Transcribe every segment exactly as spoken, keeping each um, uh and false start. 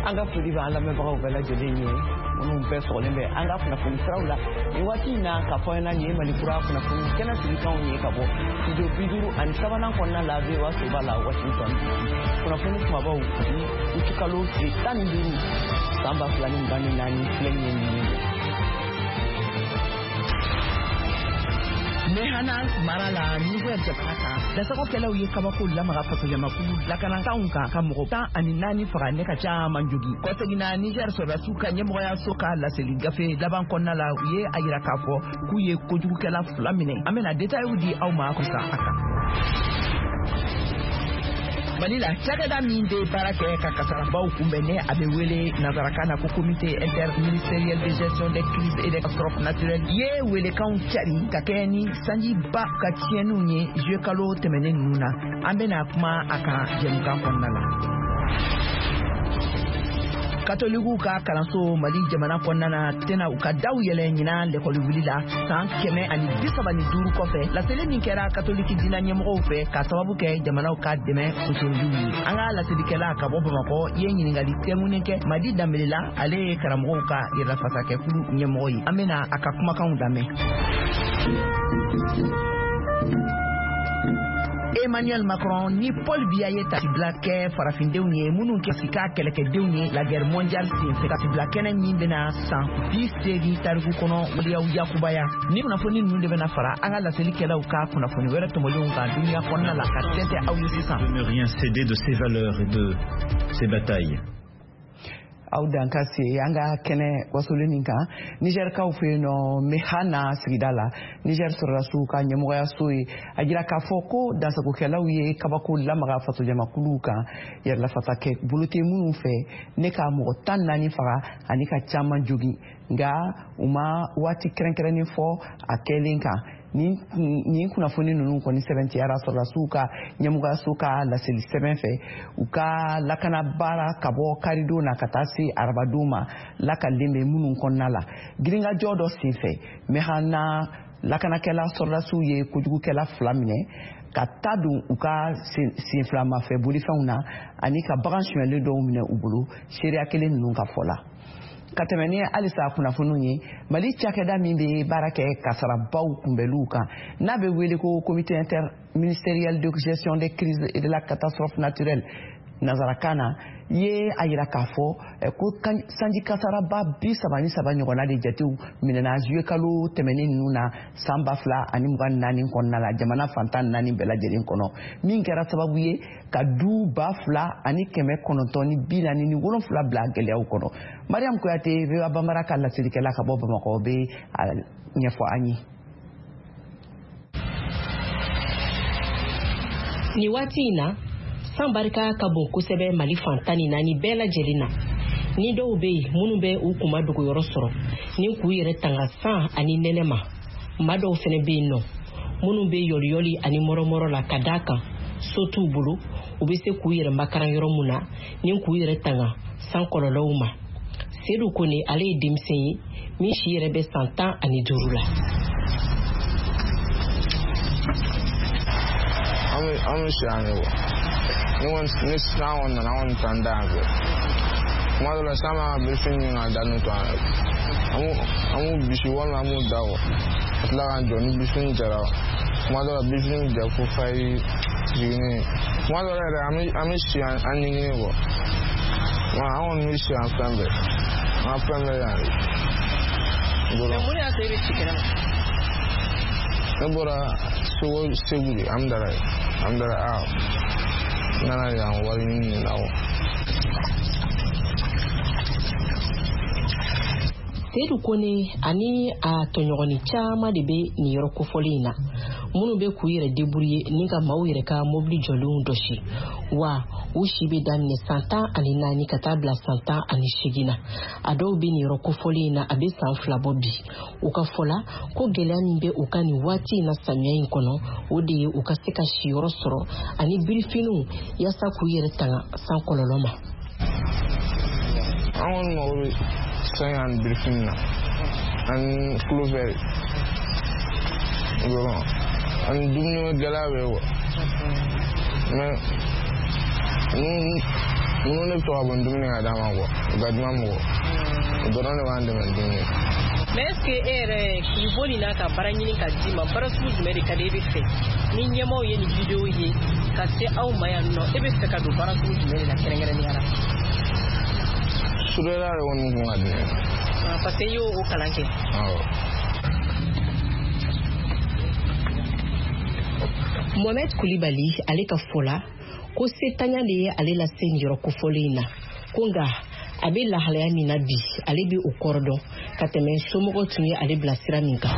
An ka foli b'an lamɛnbagaw bɛɛ lajɛlen ye, minnu bɛɛ sɔgɔlen bɛ an ka kunnafoni siraw la nin waati in na. K'a fɔ an ɲɛna, nin ye Mali Kura kunnafoni kɛnɛ sigikanw ye ka bɔ studio bi duuru ani sabanan kɔnɔna la, V O A soba la, Washington D C. Kunnafoni kumabaw bi utikalo tile tan ni duuru san ba fila ni mugan ni naani, filɛ nin ye ninnu ye. Mehana mara la, Niger jamana kan, dasagokɛlaw ye kabako lamaga fasojamakulu lakanakanw kan ka mɔgɔ tan ani naani faga ne ka caman jogi. Kɔseginna, Niger sɔrɔdasiw ka ɲɛmɔgɔyaso ka laseli gafe laban kɔnɔna la, u ye a yira k'a fɔ k'u ye kojugukɛla fila minɛ. An bena detayiw di aw ma kusa a kan. Mali la, cakɛda min bɛ baara kɛ ka kasarabaw kunbɛn, ne a bɛ wele nansarakan na ko Comité interministériel de gestion des crises et des catastrophes naturelles, ye welekanw cari ka kɛ ni sanjiba ka tiɲɛniw ye juillet kalo tɛmɛnen ninnu na. An bɛna kuma a kan jɛmukan kɔnɔna la. Katolikiw ka kalanso Mali jamana kɔnɔna na tɛna u ka daw yɛlɛ ɲinan lɛkɔli wuli la san kɛmɛ ani bi saba ni duuru kɔfɛ. Laseli min kɛra katoliki dina ɲɛmɔgɔw fɛ ka sababu kɛ jamanaw ka dɛmɛ sosoroliw ye, an ka laselikɛla ka bɔ Bamakɔ ye ɲiningali tɛnkunnen kɛ Madi Danbele la. Ale ye karamɔgɔw ka yɛrɛlafasakɛkulu ɲɛmɔgɔ ye. An bena a ka kumakanw lamɛn. Emmanuel Macron ni Paul Biya ye tasibila kɛ farafindenw ye minnu kɛ ka kɛlɛkɛdenw ye la guerre mondiale senfɛ, tasibila kɛnɛ min bɛna san bi seegin tariku kɔnɔ waleyaw yakubaya. Ni kunnafoni ninnu de bɛna fara an ka laselikɛlaw ka kunnafoni wɛrɛ tɔmɔlenw kan duniya kɔnɔna la ka tɛntɛ aw ye sisan. De ne rien céder de ses valeurs et de ses batailles. Aw dan ka se an ka kɛnɛ wasolen nin kan. Nizɛrikaw fɛ yen nɔ, Mehana sigida la, Nizɛri sɔrɔdasiw ka ɲɛmɔgɔyaso ye a jira k'a fɔ ko dansagokɛlaw ye kabako lamaga fasojamakuluw kan yɛrɛlafasakɛ bolo tɛ minnu fɛ, ne ka mɔgɔ tan naani faga ani ka caman jogin, nka u ma waati kɛrɛnkɛrɛnnen fɔ a kɛlen kan. Nin kunnafoni ninnu kɔni sɛbɛntiyara sɔrɔdasiw ka ɲɛmɔgɔyaso ka laseli sɛbɛn fɛ. U ka lakana baara ka bɔ karidon na ka taa se arabadon ma lakalilen bɛ minnu kɔnɔna la. Girinkajɔ dɔ senfɛ, Mehana lakanakɛla sɔrɔdasiw ye kojugukɛla fila minɛ ka ta don u ka senfilamafɛ bolifɛnw na ani ka bagan sonyɛlen dɔw minɛ u bolo, seereya kelen ninnu ka fɔ la. Ka tɛmɛ ni halisa kunnafoniw ye, Mali cakɛda min bɛ baara kɛ kasarabaw kunbɛliw kan, n'a bɛ wele ko Comité interministériel de gestion des crises et de la catastrophe naturelle nansarakan na, ye a yira k'a fɔ ko sanji kasaraba bi saba ni saba ɲɔgɔnna de jatew minɛna juillet kalo tɛmɛnen ninnu na san ba fila ani mugan ni naani kɔnɔna la, jamana fantan naani bɛɛ lajɛlen kɔnɔ, min kɛra sababu ye ka du ba fila ani kɛmɛ kɔnɔntɔn ni bi naani ni wolonfila bila gɛlɛyaw kɔnɔ. Mariam Kuyate, V O A Banbara ka laselikɛla ka bɔ Bamakɔ, bɛ a ɲɛfɔ an ye. Nin waati in na, san barika ka bon kosɛbɛ Mali fan tan ni naani bɛɛ lajɛlen na. Ni dɔw bɛ yen minnu bɛ u kunma dogoyɔrɔ sɔrɔ ni k'u yɛrɛ tanga san ani nɛnɛ ma, maa dɔw fɛnɛ bɛ yen nɔ minnu bɛ yɔliyɔli ani mɔrɔmɔrɔ la, ka d'a kan so t'u bolo u bɛ se k'u yɛrɛ makaran yɔrɔ mun na ni k'u yɛrɛ tanga san kɔlɔlɔw ma. Sedu Kone, ale ye denmisɛn ye min si yɛrɛ bɛ san tan ani duuru la. An bɛ an bɛ si yan de wa. Ni kɔni ni san kɔni nana, an kɔni t'an da yan fɛ. Kuma dɔ la, san b'an ka birifini ɲini k'a da nun to an yɛrɛ. An b'u an b'u bisi walima an b'u da kɔ ka tila k'an jɔ ni birifini jara. Kuma dɔ la, birifini bɛ ja fo fayiri jiginnen. Kuma dɔ la yɛrɛ, an bɛ an bɛ si an an ɲiginen kɔ. An kɔni bɛ si yan fɛn bɛɛ. An ka fɛn bɛɛ yan de. Mun de y'a to e bɛ si kɛnɛ ma? Ne bɔra Segu, Segu de, Amudalayi, Amudalayi. Aa, n nana yan wari ɲini de la wa. Sedu Kone ani a tɔɲɔgɔnni caman de bɛ nin yɔrɔ kofɔlen in na, minnu bɛ k'u yɛrɛ débrouiller ni ka maaw yɛrɛ ka mobili jɔlenw dɔsi wa. U si bɛ daminɛ san tan ani naani ka taa bila san tan ani seegin na. A dɔw bɛ nin yɔrɔ kofɔlen in na, a bɛ san fila bɔ bi. U ka fɔ la ko gɛlɛya min bɛ u ka nin waati in na samiya in kɔnɔ, o de ye u ka se ka siyɔrɔ sɔrɔ ani birifiniw yaasa k'u yɛrɛ tanga san kɔlɔlɔ ma. An kɔni mago bɛ sange ani birifini na ani couvert dɔrɔn ani dumuni gɛlɛya bɛ yen quoi, mais ni Minnu ne bɛ to ka bɔ ni dumuni ka d'a ma quoi, gaduma mɔgɔ. O dɔrɔn de b'an dɛmɛ dumuni. Mais est ce que e yɛrɛ k'i bɔ nin na ka baara ɲini ka d'i ma, baara sugu jumɛn de ka di e bɛ fɛ ni ɲɛmaaw ye nin vidéo ye ka se aw ma yan nɔ, e bɛ fɛ ka don baara sugu jumɛn de la kɛrɛnkɛrɛnnenya la? Soudeur de kɔni kun ka di ne ye. Parce que i y'o kalan kɛ. Awɔ. Mohamed Koulibaly ale ka fɔ la ko setanya de ye ale lase nin yɔrɔ kofɔlen in na, ko nka a bɛ lahalaya min na bi, ale bɛ o kɔrɔ dɔn ka tɛmɛ somɔgɔw tun ye ale bila sira min kan.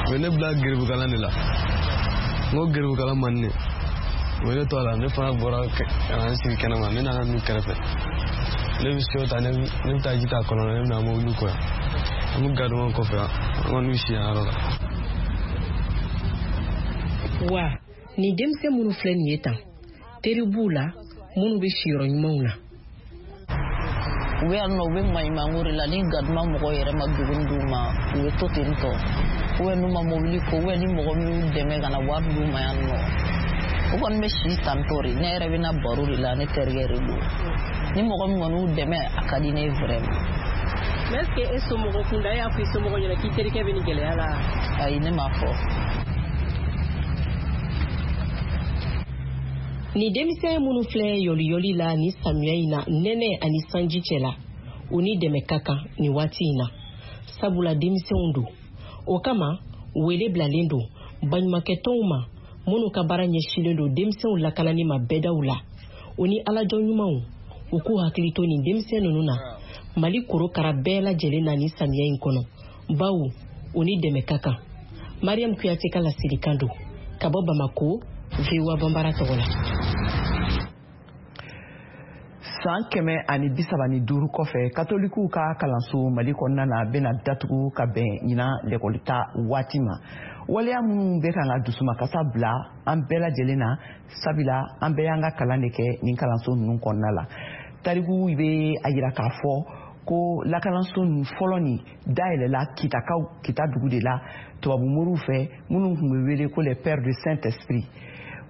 U ye ne bila geribukalan de la, n ko geribukalan man di ne, u ye ne to a la, ne fana bɔra ka na n sigi kɛnɛma, ne nana ninnu kɛrɛfɛ, ne bɛ seau ta, ne bɛ taa ji ta kɔlɔn na, ne bɛ na mobili ko yan, an bɛ garidɔn kɔfɛ, an kɔni bɛ si yan yɔrɔ la. Wa nin denmisɛn minnu filɛ nin ye tan, teri b'u la minnu bɛ siyɔrɔ ɲumanw na. U bɛ yan nɔ, u bɛ maɲumanko de la, ni gaduma mɔgɔw yɛrɛ ma duguni d'u ma, u bɛ to ten tɔ, ou bien n'u ma mobili ko, ou bien ni mɔgɔ min y'u dɛmɛ ka na wari d'u ma yan nɔ, u kɔni bɛ si tantɔ de. Ne yɛrɛ bɛ na baro de la, ne terikɛ de don, ni mɔgɔ min kɔni y'u dɛmɛ, a ka di ne ye vraiment. Mais est ce que e somɔgɔ kunda, e y'a fɔ i somɔgɔ ɲɛna k'i terikɛ bɛ nin gɛlɛya la? Ayi, ne m'a fɔ. Ni denmisɛn minnu filɛ yɔliyɔli la ni samiya in na, nɛnɛ ani sanji cɛ la, u ni dɛmɛ ka kan nin waati in na, sabula denmisɛnw don. O kama wele bilalen don baɲumankɛtɔnw ma minnu ka baara ɲɛsinnen don denmisɛnw lakanani ma bɛɛdaw la, u ni alajɔ ɲumanw, u k'u hakili to nin denmisɛn ninnu na Mali korokara bɛɛ lajɛlen na nin samiya in kɔnɔ, bawo u ni dɛmɛ ka kan. Mariam Kuyate ka laselikan don ka bɔ Bamako, V O A Bambara tɔgɔ la. San kɛmɛ ani bi saba ni duuru kɔfɛ, katolikiw ka kalanso Mali kɔnɔna na bɛna datugu ka bɛn ɲinan lɛkɔlita waati ma. Waleya minnu bɛ kan ka dusumakasa bila an bɛɛ lajɛlen na, sabula an bɛɛ y'an ka kalan de kɛ nin kalanso ninnu kɔnɔna la. Tariku bɛ a yira k'a fɔ ko lakalanso ninnu fɔlɔ nin dayɛlɛla Kitakaw Kita dugu de la tubabu moriw fɛ minnu tun bɛ wele ko les pères de Saint-Esprit.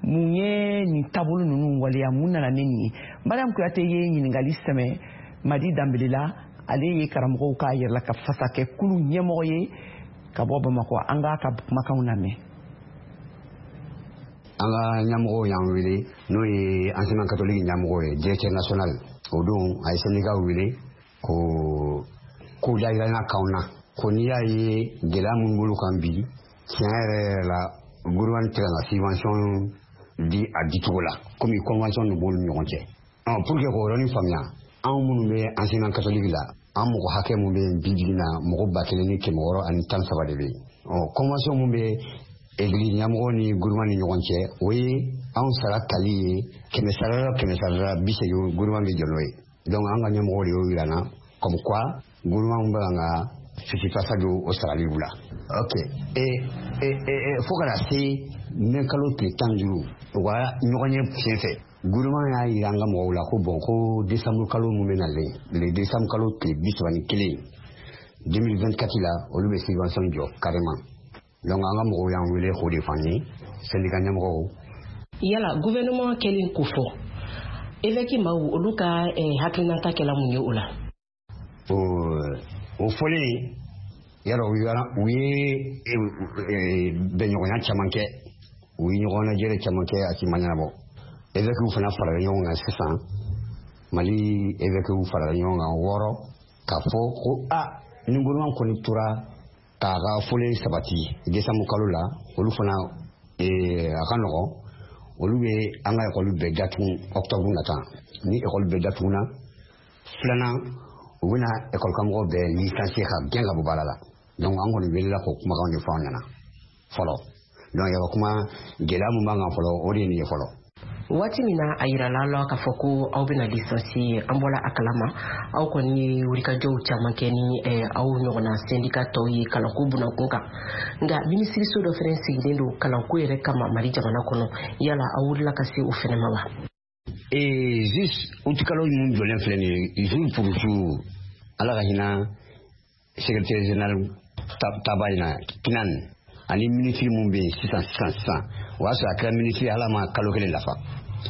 Mun ye nin taabolo ninnu waleya, mun nana ni nin ye? Mariam Kuyate ye ɲininkali sɛmɛ Madi Danbele la, ale ye karamɔgɔw ka yɛrɛla ka fasakɛ kulu ɲɛmɔgɔ ye ka bɔ Bamakɔ. An k'a ka kumakanw lamɛn. An ka ɲɛmɔgɔw y'an wele, n'o ye enseignement catholique ɲɛmɔgɔ ye, directeur national. O don a ye syndicat wele ko ko dayɛlɛnna k'anw na, ko n'i y'a ye gɛlɛya minnu b'olu kan bi, tiɲɛ yɛrɛ yɛrɛ la, gouvernement tɛ ka na subvention di a dicogo la, komi convention de b'olu ni ɲɔgɔn cɛ. Pour que k'o yɔrɔnin faamuya, anw minnu bɛ enseignement catholique la, an mɔgɔ hakɛ mun bɛ yen bi bi in na, mɔgɔ ba kelen ni kɛmɛ wɔɔrɔ ani tan saba de bɛ yen. Ɔ convention mun bɛ église ɲɛmɔgɔ ni gouvernement ni ɲɔgɔn cɛ, o ye anw sara tali ye kɛmɛ sara la kɛmɛ sara la bi seegin, gouvernement bɛ jɔ n'o ye. Donc an ka ɲɛmɔgɔ de y'o yira n na, comme quoi gouvernement bɛ kan ka fisifasa don o sarali la. Ok, e e e fo ka na se mɛ kalo tile tan ni duuru, u ka ɲɔgɔn ye sen fɛ, gouvernement y'a yira an ka mɔgɔw la ko bon, ko décembre kalo mun bɛ nalen, le décembre kalo tile bi saba ni kelen deux mille vingt-quatre la, olu bɛ subvention jɔ carrément. Donc an ka mɔgɔw y'an wele k'o de fɔ an ye, syndicat ɲɛmɔgɔw. Yala gouvernement kɛlen ko fɔ, évêque maaw olu ka hakilinata kɛla mun ye o la? O o fɔlen yala u ye bɛnɲɔgɔnya caman kɛ, u ye ɲɔgɔn lajɛrɛ caman kɛ, a si ma ɲɛnabɔ. Évêques fana farala ɲɔgɔn kan sisan, Mali évêques farala ɲɔgɔn kan wɔɔrɔ k'a fɔ ko a ni gouvernement kɔni tora k'a ka fɔlen sabati décembre kalo la, olu fana a ka nɔgɔn, olu bɛ an ka ekɔli bɛɛ datugu octobre nata. Ni ekɔli bɛɛ datuguna, filanan u bɛna ekɔli karamɔgɔ bɛɛ licencier ka gɛn ka bɔ baara la. Donc an kɔni welela k'o kumakanw de fɔ an ɲɛna fɔlɔ. Donc yɛrɛ kuma gɛlɛya mun b'an kan fɔlɔ, o de ye nin ye fɔlɔ. Waati min na a yirala la k'a fɔ ko aw bɛna licencier, an bɔra a kalama, aw kɔni ye wulikajɔw caman kɛ ni aw ɲɔgɔnna syndicat tɔw ye kalanko bunakun kan. Nka minisiriso dɔ fɛnɛ sigilen don kalanko yɛrɛ kama Mali jamana kɔnɔ, yala aw wulila ka se o fɛnɛ ma wa? Ee juste août kalo mun jɔlen filɛ nin ye, jour pour jour, Ala ka hinɛ secrétaire général taba in na Kinan ani ministre mun bɛ yen sisan sisan sisan, o y'a sɔrɔ a kɛra ministre, Ala ma kalo kelen dafa.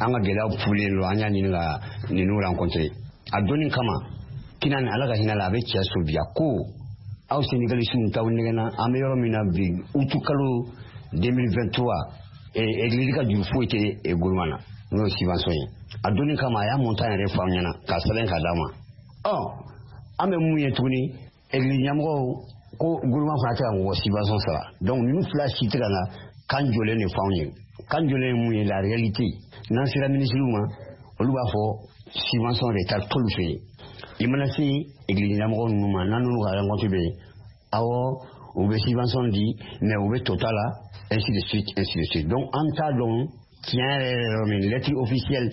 An ka gɛlɛyaw fulen don, an y'a ɲini ka ninnu rencontrer. A donni kama kina ni Ala ka hinɛ la, a bɛ cɛ so bi a ko aw syndicalistes t'aw nɛgɛnna. An bɛ yɔrɔ min na bi, août kalo deux mille vingt-trois, église ka juru foyi tɛ gouvernement na, n'o ye subvention ye. A donni kama a y'a montant yɛrɛ fɔ an ɲɛna k'a sɛbɛn k'a d'a ma. Ɔ an bɛ mun ye tuguni? Église ɲɛmɔgɔw ko gouvernement fana tɛ ka mɔgɔ subvention sara. Donc ninnu fila si tɛ ka na kan jɔlen de fɔ anw ye. Kan jɔlen ye mun ye? La réalité, n'an sera ministre ma, olu b'a fɔ subvention de taa t'olu fɛ yen. I mana se église ɲɛmɔgɔ ninnu ma, n'an n'olu ka rencontre bɛ yen, awɔ, u bɛ subvention di, mais u bɛ tota la, ainsi de suite, ainsi de suite. Donc an t'a dɔn tiɲɛ yɛrɛ yɛrɛ yɔrɔ min. Lettre officielle,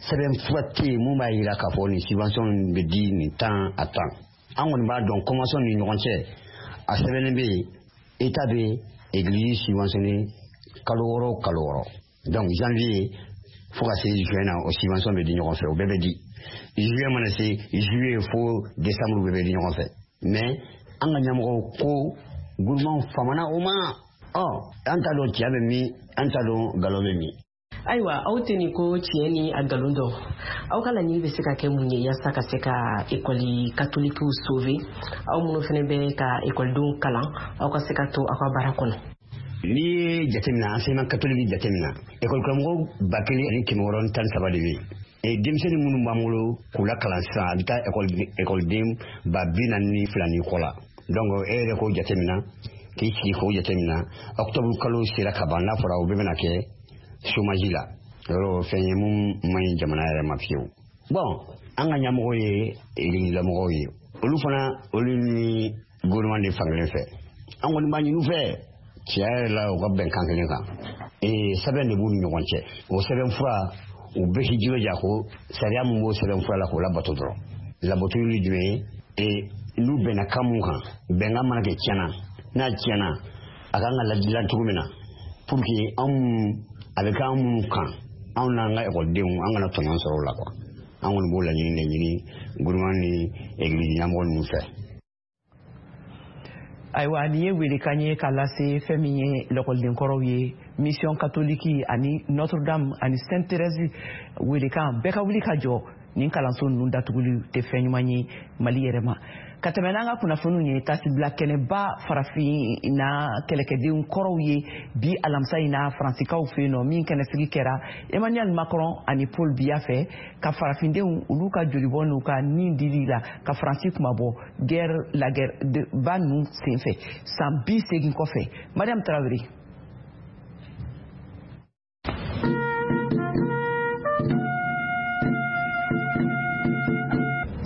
sɛbɛn fura tɛ yen mun b'a jira k'a fɔ nin subvention bɛ di nin temps a temps. An kɔni b'a dɔn convention ni ɲɔgɔn cɛ, a sɛbɛnnen bɛ yen, état bɛ église subventionné kalo wɔɔrɔ o kalo wɔɔrɔ. Donc janvier fo ka se juin na, o subvention bɛ di ɲɔgɔn fɛ, o bɛɛ bɛ di. Juillet mana se, juillet fo décembre, bɛɛ bɛ di ɲɔgɔn fɛ. Mais an ka ɲɛmɔgɔw ko gouvernement famana o ma. Ɔ an t'a dɔn tiɲɛ bɛ min, an t'a dɔn nkalon bɛ min. Ayiwa, aw tɛ nin ko tiɲɛ ni a nkalon dɔn. Aw ka laɲini bɛ se ka kɛ mun ye yaasa ka se ka ekɔli katolikiw sauver, aw minnu fana bɛ ka ekɔlidenw kalan, aw ka se ka to aw ka baara kɔnɔ? N'i ye jateminɛ, enseignement catholique jateminɛ, ekɔli karamɔgɔ ba kelen ani kɛmɛ wɔɔrɔ ni tan ni saba de bɛ yen. Denmisɛnnin minnu b'an bolo k'u lakalan sisan, a bɛ taa ekɔliden ba bi naani ni fila ni kɔ la. Donc e yɛrɛ k'o jateminɛ, k'i sigi k'o jateminɛ, octobre kalo sera ka ban, n'a fɔra o bɛɛ bɛna kɛ chômage la, yɔrɔ fɛn ye mun man ɲi jamana yɛrɛ ma fiyewu. Bon, an ka ɲɛmɔgɔw ye église lamɔgɔw ye, olu fana, olu ni gouvernement de fankelen fɛ. An kɔni b'a ɲini u fɛ tiɲɛ yɛrɛ la, u ka bɛn kan kelen kan. Ee sɛbɛn de b'u ni ɲɔgɔn cɛ, o sɛbɛn fura, u bɛɛ k'i jilaja ko sariya mun b'o sɛbɛn fura la, k'o labato dɔrɔn. Labato ye jumɛn ye? Ee n'u bɛnna kan mun kan, bɛnkan mana kɛ tiɲɛna, n'a tiɲɛna, a kan ka ladilan cogo min na pour que anw a bɛ kɛ an minnu kan, anw n'an ka ekɔlidenw, an kana tɔɲɔgɔn sɔrɔ o la quoi. An kɔni b'o laɲini de ɲini gouvernement ni église ɲɛmɔgɔ ninnu fɛ. Ayiwa, nin ye welekan ye k'a lase fɛn min ye lakɔlidenkɔrɔw ye, mission catholique ani Notre Dame ani Sainte Thérèse. Welekan bɛɛ ka wuli ka jɔ, nin kalanso ninnu datuguli tɛ fɛn ɲuman ye Mali yɛrɛ ma. Ka tɛmɛ n'an ka kunnafoniw ye, tasibila kɛnɛba farafinna kɛlɛkɛdenw kɔrɔw ye bi alamisa in na Faransikaw fɛ yen nɔ, min kɛnɛsigi kɛra Emmanuel Macron ani Paul Biya fɛ, ka farafindenw olu ka jolibɔ n'u ka nin dili la ka Faransi kumabɔ guerre, la guerre ba ninnu senfɛ san bi seegin kɔfɛ. Mariam Tarawele.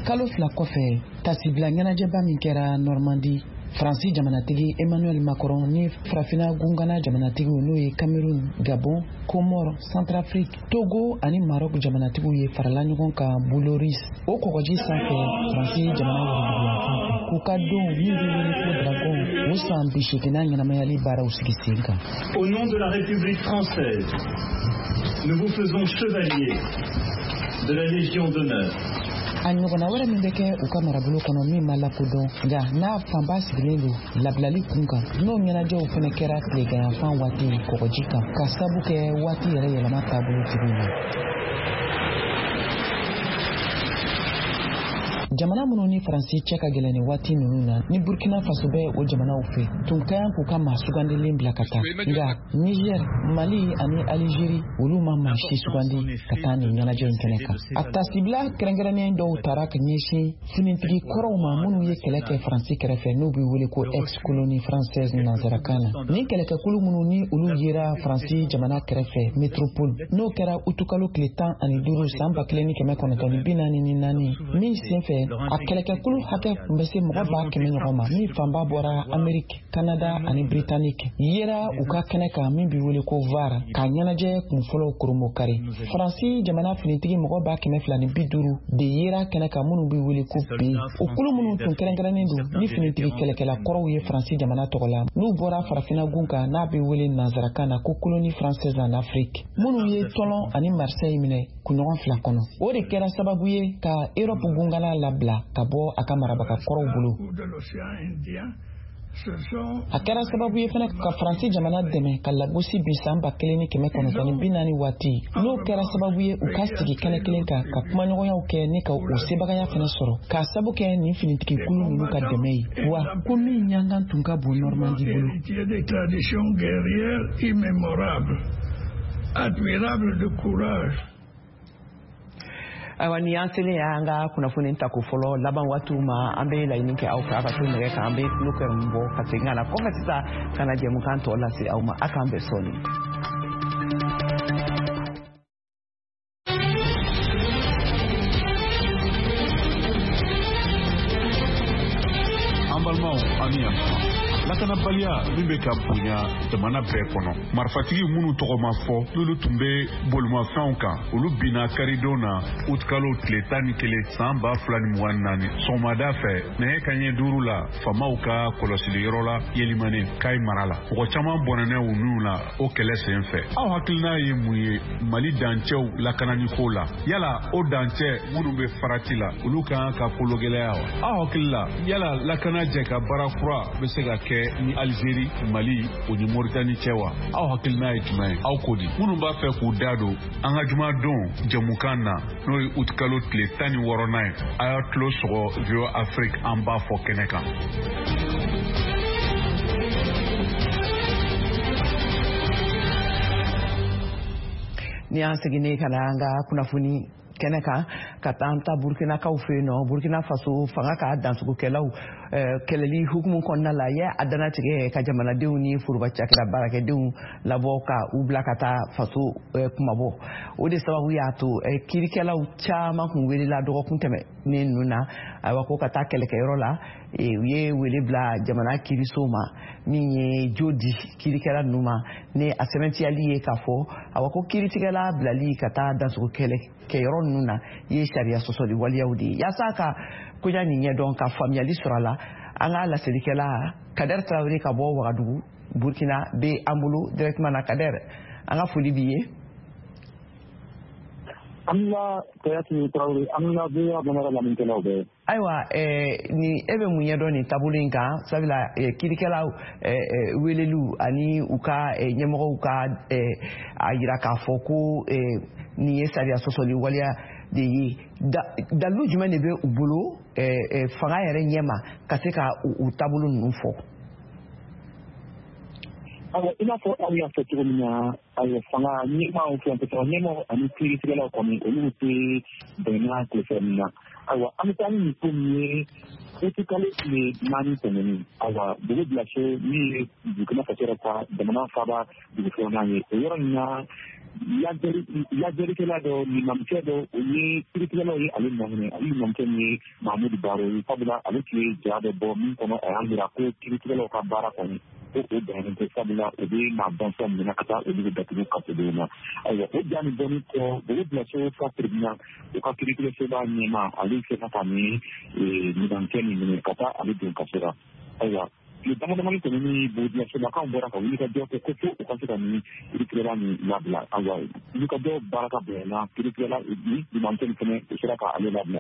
Kalo fila kɔfɛ, tasibila ɲɛnajɛba min kɛra Normandi, Faransi jamanatigi Emmanuel Macron ni Farafina gungana jamanatigiw, n'o ye Cameroun, Gabon, Comore, Centrafrique, Togo ani Maroc jamanatigiw ye, farala ɲɔgɔn kan Vallauris, o kɔgɔji sanfɛ, Faransi jamana woroduguyanfan fɛ, k'u ka don min bɛ wele ko Dragon, o san bi seeginna ɲɛnamayali baaraw sigi sen kan. Au nom de la République française, nous vous faisons chevalier de la Légion d'honneur. A ɲɔgɔnna wɛrɛ min bɛ kɛ u ka marabolo kɔnɔ min ma lakodɔn, nka n'a fanba sigilen don labilali kun kan, n'o ɲɛnajɛw fɛnɛ kɛra tileganyanfan waati kɔgɔji kan, ka sabu kɛ waati yɛrɛ yɛlɛma taabolo cogo ye. Jamana minnu ni Faransi cɛ ka gɛlɛn ni waati ninnu na, ni Burkina Faso bɛ o jamanaw fɛ, tun ka kan k'u ka maa sugandilen bila ka taa, nka Niger, Mali ani Alizeri, olu ma maa si sugandi ka taa nin ɲɛnajɛ in kɛnɛ kan. A tasibila kɛrɛnkɛrɛnnen dɔw tara ka ɲɛsin finitigi kɔrɔw ma minnu ye kɛlɛ kɛ Faransi kɛrɛfɛ, n'u bɛ wele ko ex colonie française nanzarakan na. Nin kɛlɛkɛkulu minnu ni olu yera Faransi jamana kɛrɛfɛ métropole, n'o kɛra utukalo tile tan ani duuru san ba kelen ni kɛmɛ kɔnɔntɔn ni bi naani ni naani, min senfɛ a kɛlɛkɛkulu hakɛ tun bɛ se mɔgɔ ba kɛmɛ ɲɔgɔn ma, min fanba bɔra Ameriki, Kanada ani Britannique, yera u ka kɛnɛ kan min bɛ wele ko Var, k'a ɲɛnajɛ kunfɔlɔw koromokari. Faransi jamana finitigi mɔgɔ ba kɛmɛ fila ni bi duuru de yera kɛnɛ kan, minnu bɛ wele ko B. O kulu minnu tun kɛrɛnkɛrɛnnen don ni finitigi kɛlɛkɛla kɔrɔw ye Faransi jamana tɔgɔ la, n'u bɔra Farafinna gun kan, n'a bɛ wele nanzarakan na ko colonie française en Afrique, minnu ye Tɔlɔn ani Marseille minɛ kunɲɔgɔn fila kɔnɔ, o de kɛra sababu ye ka Europe gungana labila ka bɔ a ka marabaga kɔrɔw bolo. A kɛra sababu ye fana ka Faransi jamana dɛmɛ ka lagosi bi san ba kelen ni kɛmɛ kɔnɔntɔn ni bi naani waati, n'o kɛra sababu ye u ka sigi kɛnɛ kelen kan ka kumaɲɔgɔnyaw kɛ ni ka o sebagaya fana sɔrɔ k'a sabu kɛ nin finitigi kulu ninnu ka dɛmɛ ye, wa ko min ɲangan tun ka bon Normandi bolo. Admirable de courage. Ayiwa, ni y'an selen y'an ka kunnafoni tako fɔlɔ laban waatiw ma, an bɛ laɲini kɛ aw fɛ, aw ka to nɛgɛ kan, an bɛ tulo kɛrɛmu bɔ ka segin ka na kɔfɛ sisan ka na jɛmukan tɔ lase aw ma. A k'an bɛn sɔɔni. An balimaw, an ni yan lakanabaliya min bɛ ka bonya jamana bɛɛ kɔnɔ, marifatigi minnu tɔgɔ ma fɔ, n'olu tun bɛ bolimafɛnw kan, olu binna karidon na, utikalo tile tan ni kelen san ba fila ni mugan ni naani, sɔgɔmada fɛ nɛgɛ kanɲɛ duuru la, faamaw ka kɔlɔsiliyɔrɔ la Yelimane, Kayi mara la. Mɔgɔ caman bɔnɛna u niw la o kɛlɛ sen fɛ. Aw hakilina ye mun ye Mali dancɛw lakananiko la? Yala o dancɛ minnu bɛ farati la, olu ka kan ka kologɛlɛya wa? Aw hakili la, yala lakana jɛ ka baara kura bɛ se ka kɛ ni Algérie, Mali o ni Mauritanie cɛ wa? Aw hakilina ye jumɛn ye? Aw ko di? Minnu b'a fɛ k'u da don an ka jumadon jɛmukan na, n'o ye utikalo tile tan ni wɔɔrɔnan ye, a y'a tulo sɔgɔ V O A Afrique, an b'a fɔ kɛnɛ kan. Ni y'an seginnen ka na an ka kunnafoni kɛnɛ kan, ka taa an ta Burkinakaw fɛ yen nɔ, Burkina Faso fanga ka dansogokɛlaw kɛlɛli hukumu kɔnɔna la, ye a dannatigɛ ka jamanadenw ni foroba cakɛda baarakɛdenw labɔ ka u bila ka taa faso kumabɔ. O de sababu y'a to kiirikɛlaw caman kun welela dɔgɔkun tɛmɛnen ninnu na, ayiwa, ko ka taa kɛlɛkɛyɔrɔ la. U ye wele bila jamana kiiriso ma min ye jo di kiirikɛla ninnu ma, ni a sɛbɛntiyali ye k'a fɔ awa ko kiiritigɛla bilali ka taa dansogo kɛlɛ kɛyɔrɔ ninnu na ye sariya sɔsɔli waleyaw de ye. Yaasa ka koɲa nin ɲɛdɔn, ka faamuyali sɔrɔ a la, an ka laselikɛla Kader Traoré ka bɔ Wagadugu, Burkina, bɛ an bolo directement na. Kader, an ka foli b'i ye. An la Kayati Traoré, an la V O A Bamara lamɛnnikɛlaw bɛɛ. Ayiwa, ni e bɛ mun ɲɛdɔn nin taabolo in kan, sabula kiirikɛlaw weleliw ani u ka ɲɛmɔgɔw ka a yira k'a fɔ ko nin ye sariya sɔsɔli waleya de ye, dalilu jumɛn de bɛ u bolo fanga yɛrɛ ɲɛma ka se ka u taabolo ninnu fɔ? Ayiwa, i n'a fɔ aw y'a fɔ cogo min na, ayiwa, fanga ɲɛmaaw, fɛn ɲɛmaaw ani kiiritigɛlaw kɔni, olu tɛ bɛnna tilefɛ min na. Ayiwa, an bɛ taa ni nin ko min ye, utikalo tile naani tɛmɛnen, ayiwa, dugu bilaso min ye Burkina Faso yɛrɛ ka jamana faaba dugu filanan ye, o yɔrɔ nin na, lajɛlikɛla dɔ, limamukɛ dɔ, o ye kiiritigɛlaw ye ale nɔ minɛ. Ale limamukɛ min ye Mahamudu Baro ye, sabula ale tun ye ja dɔ bɔ min kɔnɔ, a y'a jira ko kiiritigɛlaw ka baara kɔni ko o bɛnnen tɛ, sabula o bɛ maa bɔnsɔn minɛ ka taa olu bɛ datugu kasodenw na. Ayiwa, o ja nin bɔlen kɔ, dugu bilaso ka tribunal, o ka kiiritigɛsoba ɲɛmaa, ale sera ka nin limamukɛ nin minɛ ka taa ale don kaso la. Ayiwa, tile dama damani tɛmɛnen, bolilasolakaw bɔra ka wulikajɔ kɛ ko fo u ka se ka nin kiiritigɛla nin labila. Ayiwa, wulikajɔ baara ka bonyana, kiiritigɛla ni limamukɛ nin fɛnɛ, o sera ka ale labila.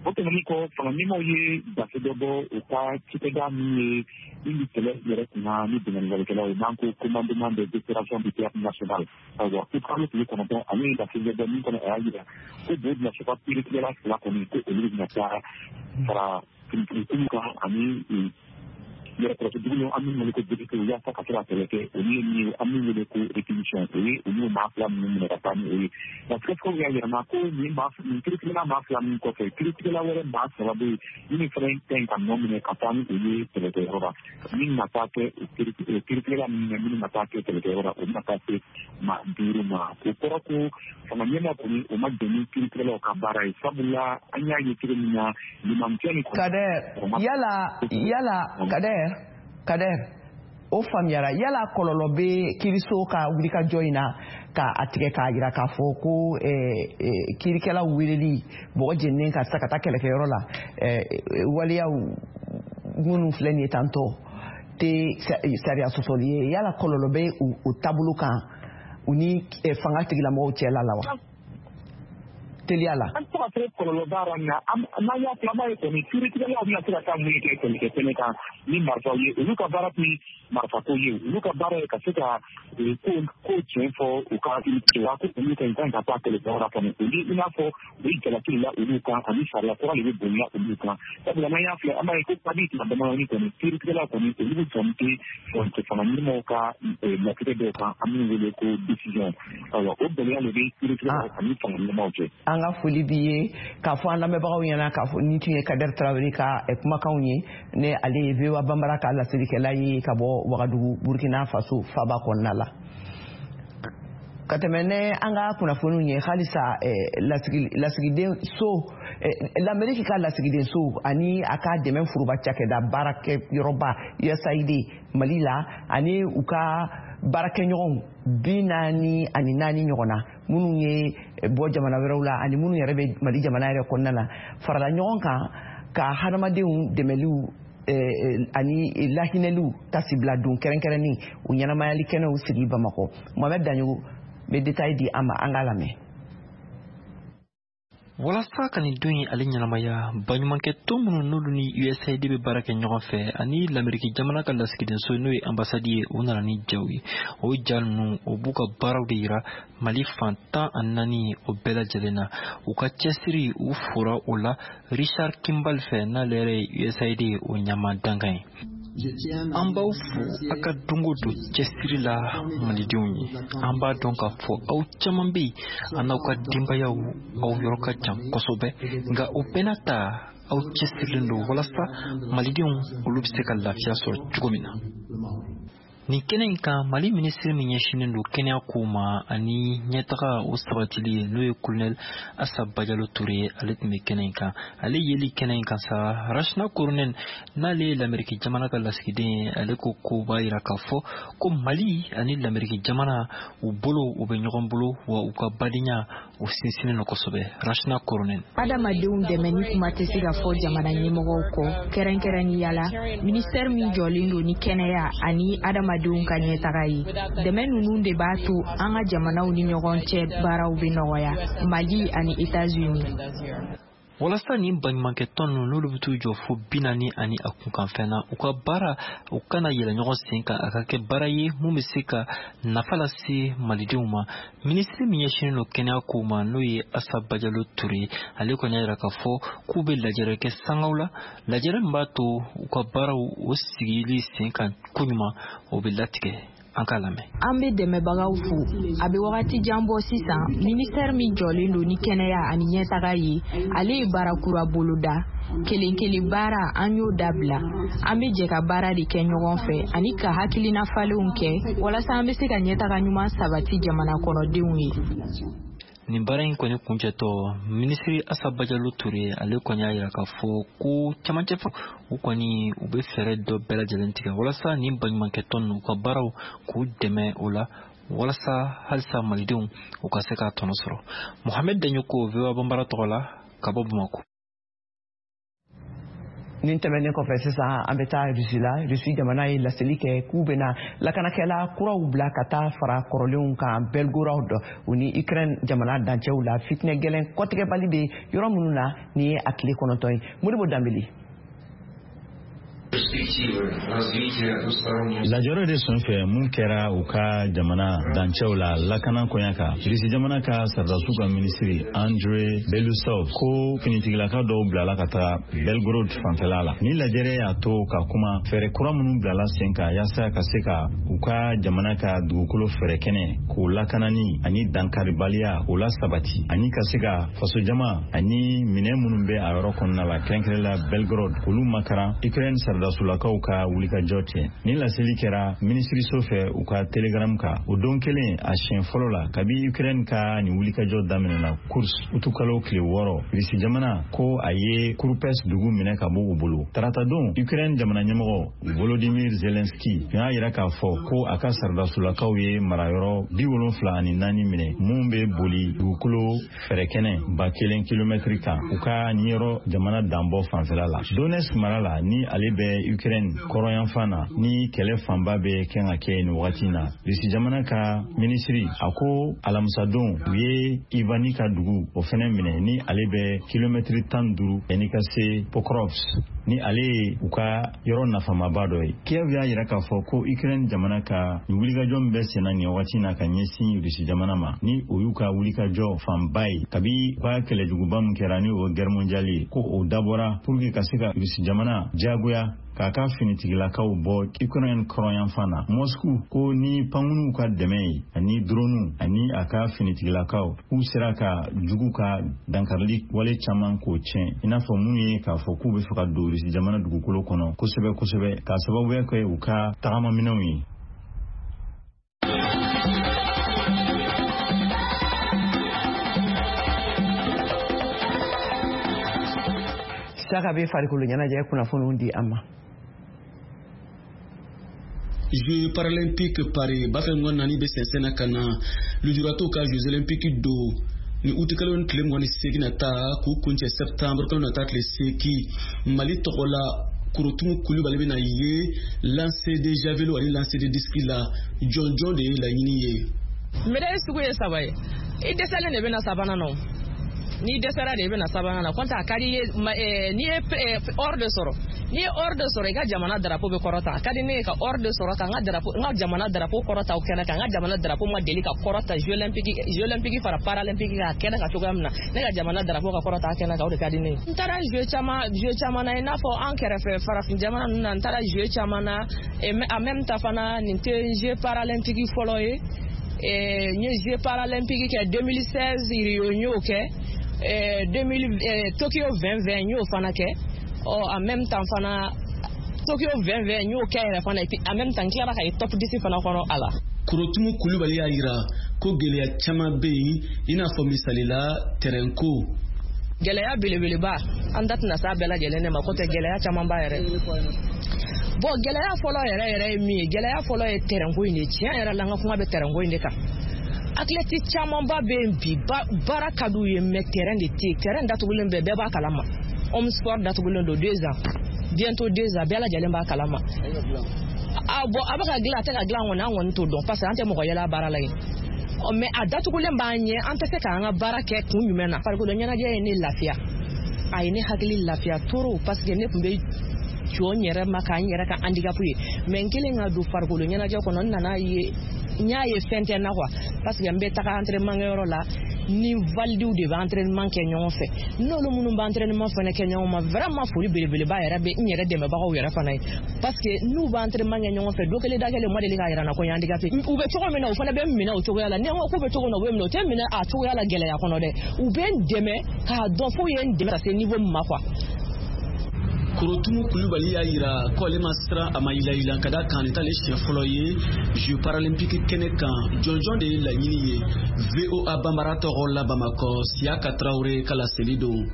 O tɛmɛnen kɔ, fanga ɲɛmaaw ye gafe dɔ bɔ u ka cikɛda min ye min bɛ kɛlɛ yɛrɛ kunna ni binkanniwalekɛlaw ye, n'an ko commandement des opérations du théâtre national. Ayiwa, ko kalo tile kɔnɔntɔn, ale ye gafe dɔ bɔ min kɔnɔ, a y'a jira ko bolilaso ka kiiritigɛla fila kɔni, ko olu bɛna taa fara finitigiw kan ani yɛrɛkɔrɔsi dugu an min wele ko député, yaasa ka se ka kɛlɛ kɛ olu ye min ye an min wele ko réquisition, o ye olu maa fila minnu minɛ ka taa ni o ye. Nka sɛgɛsɛgɛliw y'a yira ko nin maa nin kiiritigɛla maa fila min kɔfɛ, kiiritigɛla wɛrɛ maa saba bɛ yen minnu fana ka ɲi ka nɔ minɛ ka taa ni olu ye kɛlɛkɛyɔrɔ la, min na taa kɛ kiiritigɛla minnu na minnu na taa kɛ kɛlɛkɛyɔrɔ la, o bɛna taa se maa duuru ma. O kɔrɔ ko fanga ɲɛmaa kɔni, o ma jɛn ni kiiritigɛlaw ka baara ye, sabula an y'a ye cogo min na limamukɛ ni. Kader, yala yala Kader, Kader, o faamuyara, yala kɔlɔlɔ bɛ kiiriso ka wulikajɔ in na ka a tigɛ k'a jira k'a fɔ ko kiirikɛlaw weleli bɔgɔ jeninen ka se ka taa kɛlɛkɛyɔrɔ la, waleyaw minnu filɛ nin ye tantɔ tɛ sariya sɔsɔli ye, yala kɔlɔlɔ bɛ o taabolo kan u ni fanga tigilamɔgɔw cɛla la wa? Teliya la. An tɛ se ka fɔ kɔlɔlɔ b'a la nka n'an y'a filɛ an b'a ye kɔni kiiritigɛlaw bɛna se ka taa mun kɛ kɛlɛkɛ kɛnɛ kan ni marifaw ye. Olu ka baara tun marifako ye, olu ka baara ye ka se ka ko ko tiɲɛ fɔ u ka wa ko olu ka kan ka taa kɛlɛkɛyɔrɔ la kɔni. Olu i n'a fɔ u ye jalaki la olu kan ani sariya kura de bɛ bonya olu kan. Sabula n'an y'a filɛ an b'a ye ko kabi tuma damadɔni kɔni kiiritigɛlaw kɔni olu bɛ jɔn tɛ fɔnte fanga ɲɛmɔgɔw ka latigɛ dɔw kan an b'u wele ko décision. Ayiwa o gɛlɛya de bɛ kiiritigɛlaw ani fanga ɲɛmɔgɔw cɛ. An ka foli b'i ye k'a fɔ an lamɛnbagaw ɲɛna k'a fɔ nin tun ye Kader Tarawele ka kumakanw ye, ne ale ye V O A Banbara ka laselikɛla ye ka bɔ Wagadugu Burkina Faso faba kɔnɔna la. Ka tɛmɛ ne an ka kunnafoniw ye halisa, lasigiden so l'Amérique ka lasigiden so ani a ka dɛmɛ foroba cakɛda baarakɛyɔrɔba U S A I D Mali la ani u ka baarakɛɲɔgɔnw bi naani ani naani ɲɔgɔn na minnu ye bɔ jamana wɛrɛw la ani minnu yɛrɛ bɛ Mali jamana yɛrɛ kɔnɔna la farala ɲɔgɔn kan ka hadamadenw dɛmɛliw ani lahinɛliw tasibila don kɛrɛnkɛrɛnnin o ɲɛnamayali kɛnɛw sigi Bamakɔ. Mohamed Daɲogo bɛ détail di an ma, an k'a lamɛn. Walasa ka nin don in ale ɲɛnamaya, baɲumankɛ tɔn minnu n'olu ni U S A I D bɛ baara kɛ ɲɔgɔn fɛ ani lameriki jamana ka lasigidenso n'o ye anbasadi ye, u nana ni jaw ye. O ja ninnu o b'u ka baaraw de yira Mali fan tan ani naani o bɛɛ lajɛlen na. U ka cɛsiri u fora o la Richard Kimball fɛ, n'ale yɛrɛ ye U S A I D o ɲɛmaa dankan ye. An b'aw fo a ka don o don cɛsiri la malidenw ye. An b'a dɔn k'a fɔ aw caman bɛ yen, an n'aw ka denbayaw aw yɔrɔ ka jan kosɛbɛ, nka o bɛɛ n'a ta aw cɛsirilen don walasa malidenw olu bɛ se ka lafiya sɔrɔ cogo min na. Nin kɛnɛ in kan, Mali minisiri min ɲɛsinnen don kɛnɛya kow ma ani ɲɛtaga o sabatili ye, n'o ye Colonel Assa Badialo Touré ye, ale tun bɛ kɛnɛ in kan. Ale yeli kɛnɛ in kan sa, Rachna Korhonen n'ale ye lameriki jamana ka lasigiden ye, ale ko ko b'a yira k'a fɔ ko Mali ani lameriki jamana u bolo u bɛ ɲɔgɔn bolo, wa u ka badenya o sinsinnen don kosɛbɛ. Rachna Korhonen. Adamadenw dɛmɛni kuma tɛ se ka fɔ jamana ɲɛmɔgɔw kɔ, kɛrɛnkɛrɛnnenya la ministère min jɔlen don ni kɛnɛya ani adama denw ka ɲɛtaga ye. Dɛmɛ ninnu de b'a to an ka jamanaw ni ɲɔgɔn cɛ baaraw bɛ nɔgɔya, Mali ani États-Unis. Walasa nin baɲumankɛ tɔn ninnu n'olu bɛ t'u jɔ fo bi naani ani a kunkanfɛn na, u ka baara u kana yɛlɛ ɲɔgɔn sen kan, a ka kɛ baara ye mun bɛ se ka nafa lase malidenw ma. Minisiri min ɲɛsinnen don kɛnɛya kow ma n'o ye Assa Badialo Touré, ale kɔni y'a yira k'a fɔ k'u bɛ lajɛrɛ kɛ sangaw la, lajɛrɛ min b'a to u ka baaraw o sigili sen kan koɲuman o bɛ latigɛ. An k'a lamɛn. An bɛ dɛmɛbagaw fo. A bɛ wagati jan bɔ sisan, ministère min jɔlen don ni kɛnɛya ani ɲɛtaga ye, ale ye baara kura boloda. Kelen kelen baara an y'o dabila. An bɛ jɛ ka baara de kɛ ɲɔgɔn fɛ ani ka hakilina falenw kɛ walasa an bɛ se ka ɲɛtaga ɲuman sabati jamana kɔnɔdenw ye. Nin baara in kɔni kuncɛtɔ, minisiri Assa Badialo Touré ale kɔni y'a yira k'a fɔ ko camancɛ fɔ u kɔni u bɛ fɛɛrɛ dɔ bɛɛ lajɛlen tigɛ walasa nin baɲumankɛ tɔn ninnu u ka baaraw k'u dɛmɛ o la walasa halisa malidenw u ka se k'a tɔnɔ sɔrɔ. Mohamed Daɲoko, V O A Banbara tɔgɔ la ka bɔ Bamakɔ. Nin tɛmɛnen kɔfɛ sisan an bɛ taa Russie la. Russie jamana ye laseli kɛ k'u bɛna lakanakɛla kuraw bila ka taa fara kɔrɔlenw kan Belgorod u ni Ukraine jamana dancɛw la. Fitinɛ gɛlɛn kɔtigɛbali bɛ yɔrɔ minnu na nin ye a tile kɔnɔntɔn ye. Modibo Danbele. Lajɛrɛ de senfɛ mun kɛra u ka jamana dancɛw la lakana koɲa kan, Irisi jamana ka sardasiw ka minisiri Andrei Belousov ko finitigilaka dɔw bilala ka taga Belgorod fanfɛla la. Ni lajɛrɛ y'a to ka kuma fɛɛrɛ kura minnu bilala sen kan yaasa ka se ka u ka jamana ka dugukolo fɛɛrɛ kɛnɛ k'o lakanani ani dankaribaliya k'o lasabati ani ka se ka fasojama ani minɛn minnu bɛ a yɔrɔ kɔnɔna la kɛrɛnkɛrɛn la Belgorod k'olu makaran Ukraine sardasulakaw ka wulikajɔ cɛ. Ni laseli kɛra minisiriso fɛ u ka telegram kan o don kelen a siɲɛ fɔlɔ la kabi Ukraine ka nin wulikajɔ daminɛna Kursk utukalo tile wɔɔrɔ. Irisi jamana ko a ye Kurpes dugu minɛ ka bɔ u bolo. Taratadon Ukraine jamana ɲɛmɔgɔ Volodymyr Zelensky y'a yira k'a fɔ ko a ka sardasulakaw ye marayɔrɔ bi wolonfila ani naani minɛ mun bɛ boli dugukolo fɛrɛkɛnɛ ba kelen kilomɛtiri kan u ka nin yɔrɔ jamana danbɔ fanfɛla la. Donetsk mara la ni ale bɛ bɛ Ukraine kɔrɔnyanfan na, ni kɛlɛ fanba bɛ kɛ ka kɛ nin wagati na, Rusi jamana ka minisiri a ko alamisadon u ye Ivani ka dugu o fɛnɛ minɛ, ni ale bɛ kilomɛtiri tan duuru yanni ka se Pokrovsk, ni ale ye u ka yɔrɔ nafamaba dɔ ye. Kiev y'a yira k'a fɔ ko Ukraine jamana ka nin wulikajɔ min bɛ senna nin wagati na ka ɲɛsin Rusi jamana ma, ni o y'u ka wulikajɔ fanba ye kabi u ka kɛlɛjuguba min kɛra, ni o ye guerre mondiale ye, ko o dabɔra pour que ka se ka Rusi jamana diyagoya k'a ka finitigilakaw bɔ Ukraine kɔrɔnyanfan na. Moscou ko ni pankurunw ka dɛmɛ ye ani droniw ani a ka finitigilakaw, k'u sera ka jugu ka dankarili wale caman k'o tiɲɛ, i n'a fɔ mun ye k'a fɔ k'u bɛ fɛ ka don Rusi jamana dugukolo kɔnɔ kosɛbɛ kosɛbɛ, k'a sababuya kɛ u ka tagamaminɛnw ye. Saka bɛ farikolo ɲɛnajɛ kunnafoniw di an ma. Jeux paralympiques Paris b'a fɛ ŋɔn naani bɛ sɛnsɛn na ka na lujuratɔw ka Jeux olympiques don ni utikalo ni tile mugan ni seegin nata k'u kuncɛ septembre kalo nata tile seegin. Mali tɔgɔ la Korotumu Kulubali bɛna ye lancer de javelot ani lancer de disque la, jɔnjɔn de ye laɲini ye. Médaille sugu ye saba ye, i dɛsɛlen de bɛ na sabanan na, n'i dɛsɛra de i bɛ na sabanan na, kɔntɛ a ka di i ye n'i ye or de sɔrɔ, n'i ye or de sɔrɔ i ka jamana drapeau bɛ kɔrɔta. A ka di ne ye ka or de sɔrɔ ka n ka drapeau, n ka jamana drapeau kɔrɔta o kɛnɛ kan. N ka jamana drapeau ma deli ka kɔrɔta Jeux olympiques, Jeux olympiques fara paralympiques kan a kɛnɛ kan cogoya min na, ne ka jamana drapeau ka kɔrɔta a kɛnɛ kan, o de ka di ne ye. N taara jeux caman jeux caman na, i n'a fɔ an kɛrɛfɛ farafin jamana ninnu na, n taara jeux caman na, en même temps fana nin tɛ jeux paralympiques fɔlɔ ye. N ye jeux paralympiques kɛ deux mille seize Rio, n y'o kɛ deux mille Tokyo vingt vingt, n y'o fana kɛ. Ɔ en même temps fana Tokyo vingt vingt n y'o kɛ yɛrɛ fana, et puis en même temps n tilara ka ye top dix fana kɔnɔ a la. Korotumu Kulubali y'a yira ko gɛlɛya caman bɛ yen, i n'a fɔ misali la terrain ko. Gɛlɛya belebeleba an da tɛna s'a bɛɛ lajɛlen de ma, k'o tɛ gɛlɛya caman ba yɛrɛ. Bon, gɛlɛya fɔlɔ yɛrɛ yɛrɛ ye min ye, gɛlɛya fɔlɔ ye terrain ko in de ye. Tiɲɛ yɛrɛ la, an ka kuma bɛ terrain ko in de kan. Athlète camanba bɛ yen bi, baara ka d'u ye mais terrain de tɛ yen. Terrain datugulen bɛ, bɛɛ b'a kalama. Homme sport datugulen don deux ans, bientôt deux ans, bɛɛ lajɛlen b'a kalama. Ah bon, a bɛ ka dilan a tɛ ka dilan kɔni, an kɔni t'o dɔn parce que an tɛ mɔgɔ yɛlɛ a baara la yen. Ɔ mais a datugulen b'an ɲɛ, an tɛ se k'an ka baara kɛ kun jumɛn na. Farikolo ɲɛnajɛ ye ne lafiya, a ye ne hakili lafiya trop, parce que ne tun bɛ jɔ n yɛrɛ ma k'an yɛrɛ ka handicap ye, mais n kelen ka don farikolo ɲɛnajɛ kɔnɔ, n nana ye, n y'a ye fɛn tɛ n na quoi, parce que n bɛ taga entraînement kɛyɔrɔ la, ni validiw de bɛ entraînement kɛ ɲɔgɔn fɛ, n'olu minnu bɛ entraînement fana kɛ ɲɔgɔn ma, vraiment foli belebeleba yɛrɛ bɛ n yɛrɛ dɛmɛbagaw yɛrɛ fana ye, parce que n'u bɛ entraînement kɛ ɲɔgɔn fɛ, don kelen da kelen u ma deli k'a yira n na ko n ye handicapé. U bɛ cogo min na, u fana bɛ n minɛ o cogoya la. Ni n ko k'u bɛ cogo min na, u bɛ minɛ, u tɛ minɛ a cogoya la gɛlɛya kɔnɔ dɛ, u bɛ n dɛmɛ k'a dɔn f'u ye n dɛmɛ ka se niveau min ma quoi. Korotumu Kulubali y'a yira ko ale ma siran, a ma yilayila, ka da kan nin t'ale siɲɛ fɔlɔ ye Jeux paralympiques kɛnɛ kan. Jɔnjɔn de ye laɲini ye. V O A Banbara tɔgɔ la Bamakɔ, Siyaka Tarawele ka laseli don.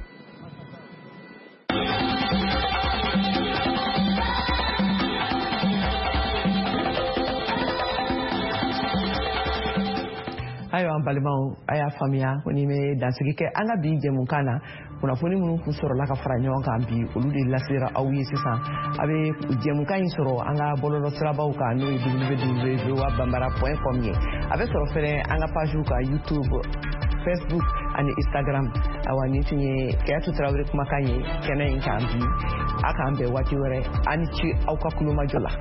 Ayiwa an balimaw, a y'a faamuya ko ni bɛ dansigi kɛ an ka bi jɛmukan na. Kunnafoni minnu kun sɔrɔla ka fara ɲɔgɔn kan bi, olu de lasera aw ye sisan. A bɛ jɛmukan in sɔrɔ an ka bɔlɔlɔsirabaw kan, n'o ye w w w point bambara point com ye. A bɛ sɔrɔ fɛnɛ an ka pagew kan YouTube, Facebook ani Instagram. Awa nin tun ye Kayatu Tarawele kumakan ye kɛnɛ in kan bi. A k'an bɛn waati wɛrɛ. A ni ce aw ka kulomajɔ la.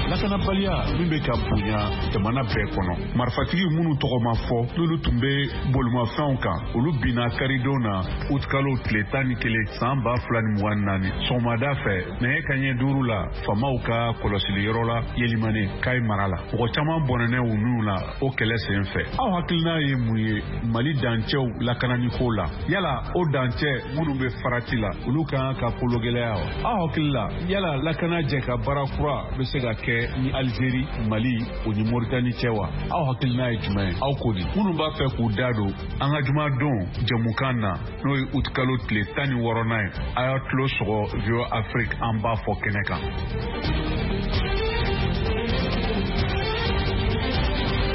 Lakanabaliya min bɛ ka bonya jamana bɛɛ kɔnɔ, marifatigi minnu tɔgɔ ma fɔ, n'olu tun bɛ bolimafɛnw kan, olu binna karidon na utikalo tile tan ni kelen san ba fila ni mugan ni naani sɔgɔmada fɛ nɛgɛ kanɲɛ duuru la, faamaw ka kɔlɔsiliyɔrɔ la Yelimane Kayi mara la. Mɔgɔ caman bɔnɛnɛ u niw la o kɛlɛ sen fɛ. Aw hakilina ye mun ye Mali dancɛw lakananiko la? Yala o dancɛ minnu bɛ farati la, olu kan ka kologɛlɛya wa? Aw hakili la, yala lakana jɛ ka baara kura bɛ se ka kɛ kɛ ni Algérie, Mali o ni Mauritanie cɛ wa? Aw hakilina ye jumɛn ye? Aw ko di? Minnu b'a fɛ k'u da don an ka jumadon jɛmukan na, n'o ye utikalo tile tan ni wɔɔrɔnan ye, a y'a tulo sɔgɔ V O A Afrique an b'a fɔ kɛnɛ kan.